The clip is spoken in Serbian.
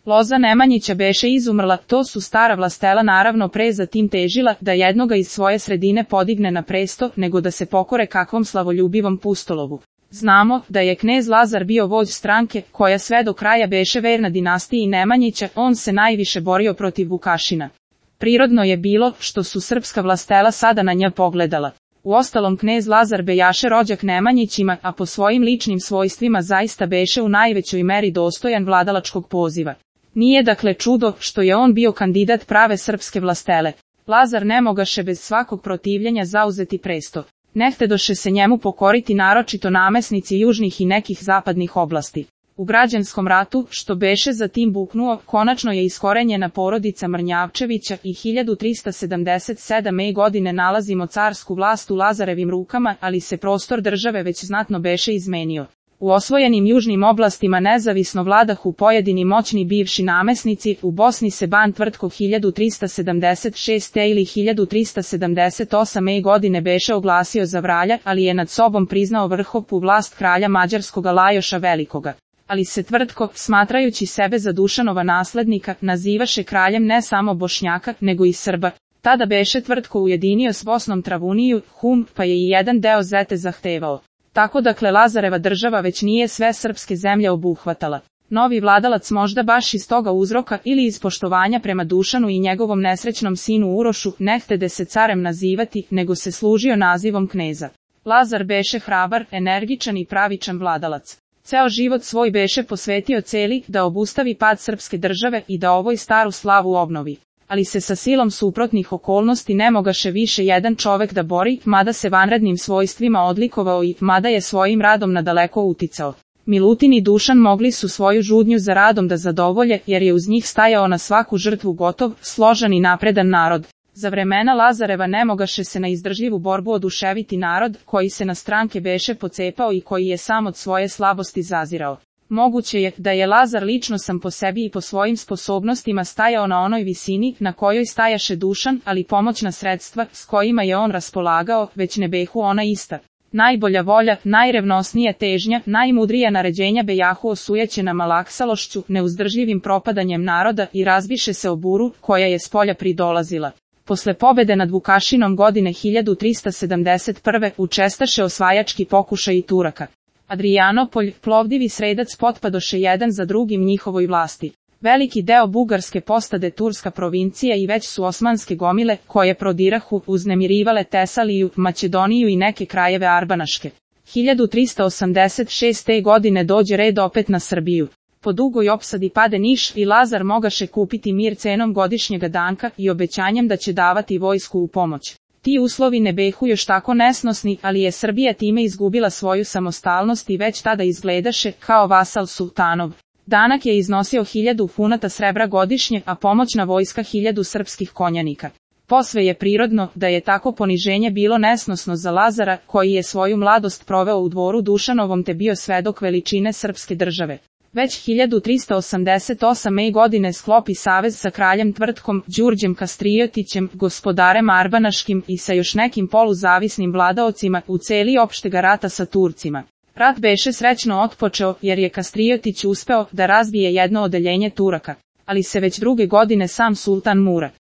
Loza Nemanjića beše izumrla, to su stara vlastela naravno pre za tim težila da jednoga iz svoje sredine podigne na presto, nego da se pokore kakvom slavoljubivom pustolovu. Znamo da je knez Lazar bio vođ stranke, koja sve do kraja beše verna dinastiji Nemanjića, on se najviše borio protiv Vukašina. Prirodno je bilo što su srpska vlastela sada na nja pogledala. Uostalom knez Lazar bejaše rođak Nemanjićima, a po svojim ličnim svojstvima zaista beše u najvećoj meri dostojan vladalačkog poziva. Nije dakle čudo što je on bio kandidat prave srpske vlastele. Lazar ne mogaše bez svakog protivljenja zauzeti presto. Ne htedoše se njemu pokoriti naročito namesnici južnih i nekih zapadnih oblasti. U građanskom ratu, što beše za tim buknuo, konačno je iskorenjena porodica Mrnjavčevića i 1377. godine nalazimo carsku vlast u Lazarevim rukama, ali se prostor države već znatno beše izmenio. U osvojenim južnim oblastima nezavisno vladahu pojedini moćni bivši namesnici, u Bosni se ban Tvrtko 1376. ili 1378. godine beše oglasio za vralja, ali je nad sobom priznao vrhovnu vlast kralja mađarskoga Lajoša Velikoga. Ali se Tvrtko, smatrajući sebe za Dušanova naslednika, nazivaše kraljem ne samo Bošnjaka, nego i Srba. Tada beše Tvrtko ujedinio s Bosnom Travuniju, pa je i jedan deo Zete zahtevao. Tako dakle Lazareva država već nije sve srpske zemlje obuhvatala. Novi vladalac možda baš iz toga uzroka ili iz poštovanja prema Dušanu i njegovom nesrećnom sinu Urošu ne htede se carem nazivati, nego se služio nazivom kneza. Lazar beše hrabar, energičan i pravičan vladalac. Ceo život svoj beše posvetio celi da obustavi pad srpske države i da ovoj staru slavu obnovi. Ali se sa silom suprotnih okolnosti ne mogaše više jedan čovek da bori, mada se vanrednim svojstvima odlikovao i mada je svojim radom nadaleko uticao. Milutin i Dušan mogli su svoju žudnju za radom da zadovolje, jer je uz njih stajao na svaku žrtvu gotov, složan i napredan narod. Za vremena Lazareva ne mogaše se na izdržljivu borbu oduševiti narod, koji se na stranke beše pocepao i koji je sam od svoje slabosti zazirao. Moguće je da je Lazar lično sam po sebi i po svojim sposobnostima stajao na onoj visini na kojoj stajaše Dušan, ali pomoćna sredstva s kojima je on raspolagao već ne behu ona ista. Najbolja volja, najrevnosnija težnja, najmudrija naređenja bejahu osujećena malaksalošću, neuzdržljivim propadanjem naroda i razbiše se o buru koja je spolja pridolazila. Posle pobede nad Vukašinom godine 1371. učestaše osvajački pokušaj Turaka. Adrijanopolj, Plovdiv i Sredac potpadoše jedan za drugim njihovoj vlasti. Veliki deo Bugarske postade turska provincija i već su osmanske gomile, koje prodirahu, uznemirivale Tesaliju, Makedoniju i neke krajeve Arbanaške. 1386. godine dođe red opet na Srbiju. Po dugoj opsadi pade Niš i Lazar mogaše kupiti mir cenom godišnjega danka i obećanjem da će davati vojsku u pomoć. Ti uslovi ne behu još tako nesnosni, ali je Srbija time izgubila svoju samostalnost i već tada izgledaše kao vasal sultanov. Danak je iznosio 1000 funata srebra godišnje, a pomoćna vojska 1000 srpskih konjanika. Posve je prirodno da je tako poniženje bilo nesnosno za Lazara, koji je svoju mladost proveo u dvoru Dušanovom te bio svedok veličine srpske države. Već 1388. godine sklopi savez sa kraljem Tvrtkom, Đurđem Kastrijotićem, gospodarem Arbanaškim i sa još nekim poluzavisnim vladaocima u celi opštega rata sa Turcima. Rat beše srećno otpočeo jer je Kastrijotić uspeo da razbije jedno odeljenje Turaka, ali se već druge godine sam sultan Mura